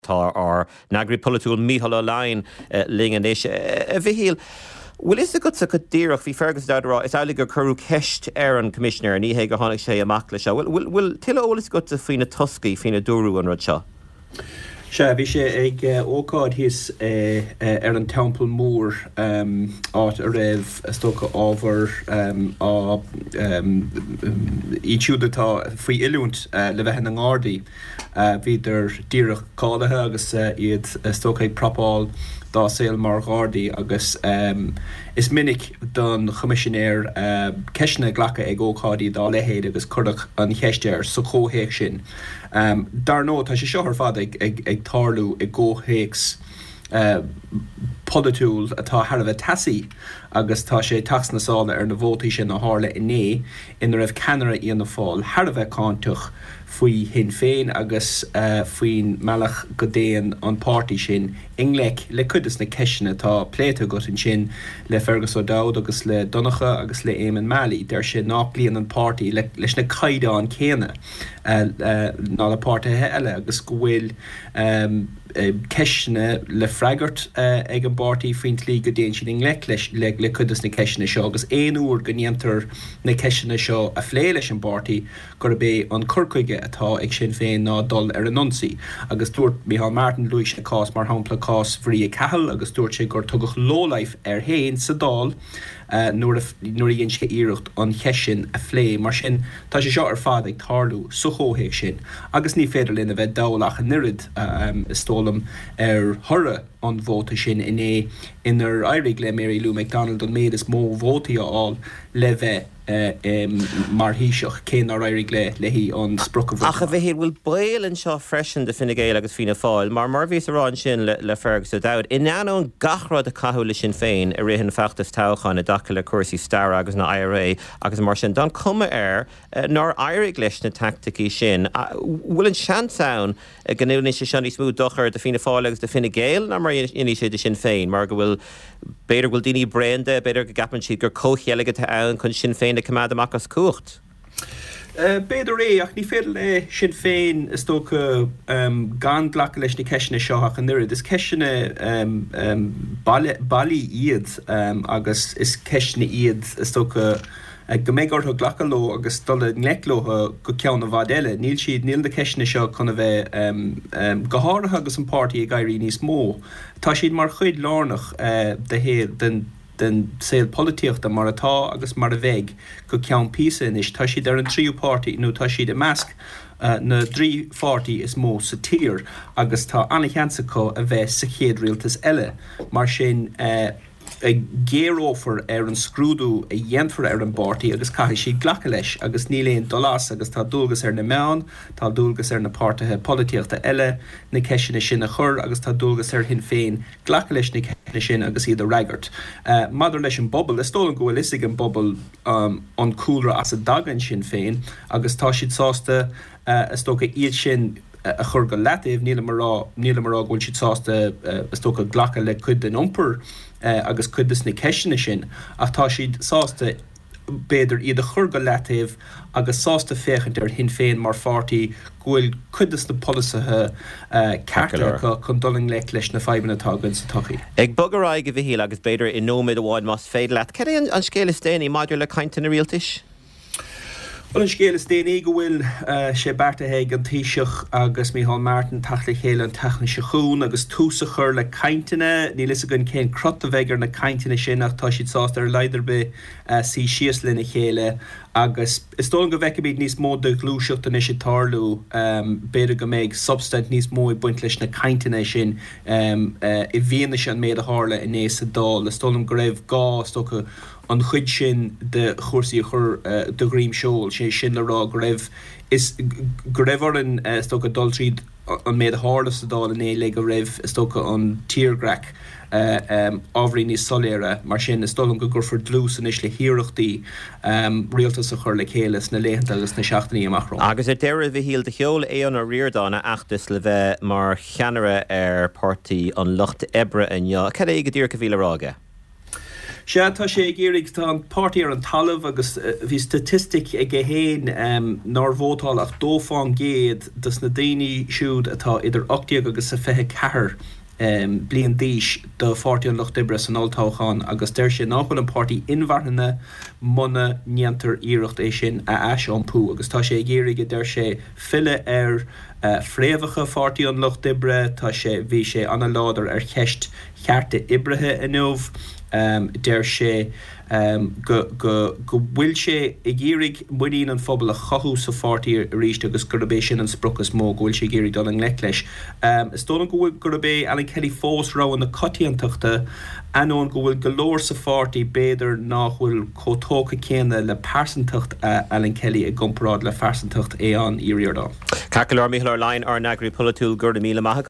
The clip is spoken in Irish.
Tá ár n-eagraí polaitiúil Mícheál Ó Leidhin linn anois. A Mhichíl, bhfuil fhios agatsa go díreach, bhí Fergus O'Dowd ag rá, is amhlaidh gur cuireadh ceist ar an Choimisinéir, ní hé gur tháinig sé amach leis seo. Bhfuil bhfuil tuilleadh eolais agatsa faoi na toscaí faoina dúradh an rud seo? Sea, bhí sé ag ócáid thíos ar an Teampall Mór, áit a raibh, is dócha, ábhar á, iad siúd atá faoi oiliúint le bheith ina nGardaí. Bhíodar díreach cáilithe agus iad is dócha ag prapáil dá saol mar Ghardaí agus is minic don Choimisinéir ceisteanna a ghlacadh ag ócáidí dá leithéid agus cuireadh an cheist air sa chomhthéacs sin. Dar ndóigh tá sé seo ar fad ag tarlú i gcomhthéacs polaitiúil atá thar a bheith teasaí agus tá sé ag teacht sna sála ar na vótaí sin a tharla inné ina raibh ceannaire Fhianna Fáil thar a bheith cáinteach faoi Shinn Féin agus faoin mbealach go dtéann an páirtí sin i ngleic le cuid des na ceisteanna atá pléite agat ansin le Fergus O'Dowd agus le Donncha agus le Éamonn Mallie. Deir sé nach gcloíonn an páirtí leis na caighdeáin chéanna ná le páirtithe eile agus go bhfuil ceisteanna le freagairt ag an bpáirtí faoin tslí go dtéann siad i ngleic leis le cuid des na ceisteanna seo agus aon uair go ndéantar na ceisteanna seo a phlé leis an bpáirtí gurb é an cur chuige atá ag Sinn Féin ná dul ar an ionsaí. Agus dúirt Micheál Martin, luaigh sé cás mar shampla, cás Mharia Cahill agus dúirt sé gur tugadh lowlife air féin sa Dáil nuair a nuair a dhein sé iarracht an cheist sin a phlé. Mar sin, tá sé seo ar fad ag tarlú sa chomhthéacs sin agus ní féidir linn a bheith dall ach an oiread, is dóigh liom, ar thoradh an vóta sin inné inar éirigh le Mary Lou McDonald an méid is mó vótaí a fháil le bheith mar Thaoiseach, cé nár éirigh léi an sprioc a bhaint Ach a amach. Mhichíl, bhfuil baol anseo freisin do Fine Gael agus Fianna Fáil, mar mar a bhíos a rá ansin le Fergus O'Dowd, in ainneoin gach rud a caitheadh le Sinn Féin i rith an feachtais toghcháin i dtaca le cúrsaí staire agus an IRA agus mar sin, tá an cuma air nár éirigh leis na teaicticí sin. Bhfuil an seans ann go ndéanfaidh sé seo níos mó dochair do Fianna Fáil agus do Fine Gael ná mar a dhéanfaidh sé do Sinn Féin, mar go bhfuil, b'fhéidir go bhfuil daoine bréan de, b'fhéidir go gceapann siad gur comhcheilg atá ann chun Sinn Féin a choimeád amach as cumhacht. B'fhéidir é, ach ní féidir le Sinn Féin, is dócha, gan glacadh leis na ceisteanna seo ach an oiread. Is ceisteanna bailí iad agus is ceisteanna iad, is dócha, go mbeidh orthu glacadh leo agus dul i ngleic leo go ceann i bhfad eile. Níl siad, níl na ceisteanna seo chun a bheith, go háirithe agus an páirtí ag éirí níos mó, tá siad mar chuid lárnach de shaol, den den saol polaitíochta mar atá agus mar a bheidh go ceann píosa anois. Tá siad ar an tríú páirtí nó tá siad i measc na dtrí pháirtí is mó sa tír agus tá an-sheans acu a bheith sa chéad rialtas eile. Mar sin. géarófar ar an scrúdú a dhéanfar ar an bpáirtí agus caithfidh siad glacadh leis agus níl aon dul as agus tá dualgas ar na meáin, tá dualgas ar na páirtithe polaitíochta eile na ceisteanna sin a chur agus tá dualgas ar Shinn Féin glacadh leis na ceisteanna sin agus iad a fhreagairt. Maidir leis an bpobal, is dóigh liom go bhfuil fhios ag an bpobal an cúlra as a dtagann Sinn Féin agus tá siad sásta, is dócha, iad sin a chur go leataobh. Nílim a rá, nílim a rá go bhfuil siad sásta, is dócha, glacadh le cuid den iompar agus cuid de na ceisteanna sin, ach tá siad sásta, b'fhéidir, iad a chur go leataobh agus sásta féachaint ar Shinn Féin mar pháirtí go bhfuil cuid de na polasaithe cearta acu chun dul i ngleic leis na fadhbanna atá againn sa tsochaí. Ag bogadh ar aghaidh, a Mhichíl, agus b'fhéidir i nóiméad amháin más féidir leat, cad é an scéal is déanaí maidir le cainteanna rialtais? Bhuel, an scéal is déanaí go bhfuil sé beartaithe ag an Taoiseach agus Micheál Martin teacht le chéile an tseachtain seo chugainn agus tús a chur le cainteanna. Níl fhios againn cén crot a bheidh ar na cainteanna sin ach tá siad sásta ar a laghad ar bith suí síos lena chéile agus is dóigh liom go bhfeicfimid níos mó de ghluaiseacht anois ag tarlú. B'fhéidir go mbeidh substaint níos mó ag baint leis na cainteanna sin i bhfianaise an méid a tharla inné sa Dáil. Is dóigh liom go raibh gá, is dócha, an chuid sin de chúrsaí a chur de dhroim seoil, sé sin le rá go raibh is go raibh orainn is dócha dul tríd an méid a tharla sa Dáil inné le go raibh is dócha an tírdhreach ábhairín níos soiléire. Mar sin is dóigh liom go gcuirfear dlús anois le hiarrachtaí rialtas a chur le chéile sna laethanta agus sna seachtainí amach romhainn. Agus ar deireadh, a Mhichíl, do sheol Aodhán Ó Ríordáin a fheachtas le bheith mar cheannaire ar Pháirtí an Lucht Oibre inniu. Cad é go díreach a bhí le rá aige? Sea, tá sé ag iarraidh, tá an páirtí ar an talamh agus bhí staitistic aige féin nár vótáil ach 2 fán gcéad dos na daoine siúd atá idir 18 agus 24 bliain d'aois do Pháirtí an Lucht Oibre san olltoghchán agus deir sé nach bhfuil an páirtí inmharthana muna ndéantar iarracht é sin a aisiompú agus tá sé ag iarraidh, a deir sé, filleadh ar fhréamhacha Pháirtí an Lucht Oibre. Tá sé, bhí sé an-láidir ar cheist chearta oibrithe inniu. Deir sé go go bhfuil sé ag iarraidh muinín an phobail a chothú sa pháirtí arís agus gurb é sin an sprioc is mó go bhfuil sé ag iarraidh dul i ngleic leis. Is dóigh liom go bhfuil gurb é Alan Kelly fós rogha na coitiantachta, ainneoin go bhfuil go leor sa pháirtí b'fhéidir nach bhfuil chomh tógtha céanna le pearsantacht Alan Kelly i gcomparáid le phearsantacht Aodhán Uí Ríordáin. Ceart go leor, Mícheál Ó Laighin, ár n-eagraí polaitiúil, go raibh míle maith agat.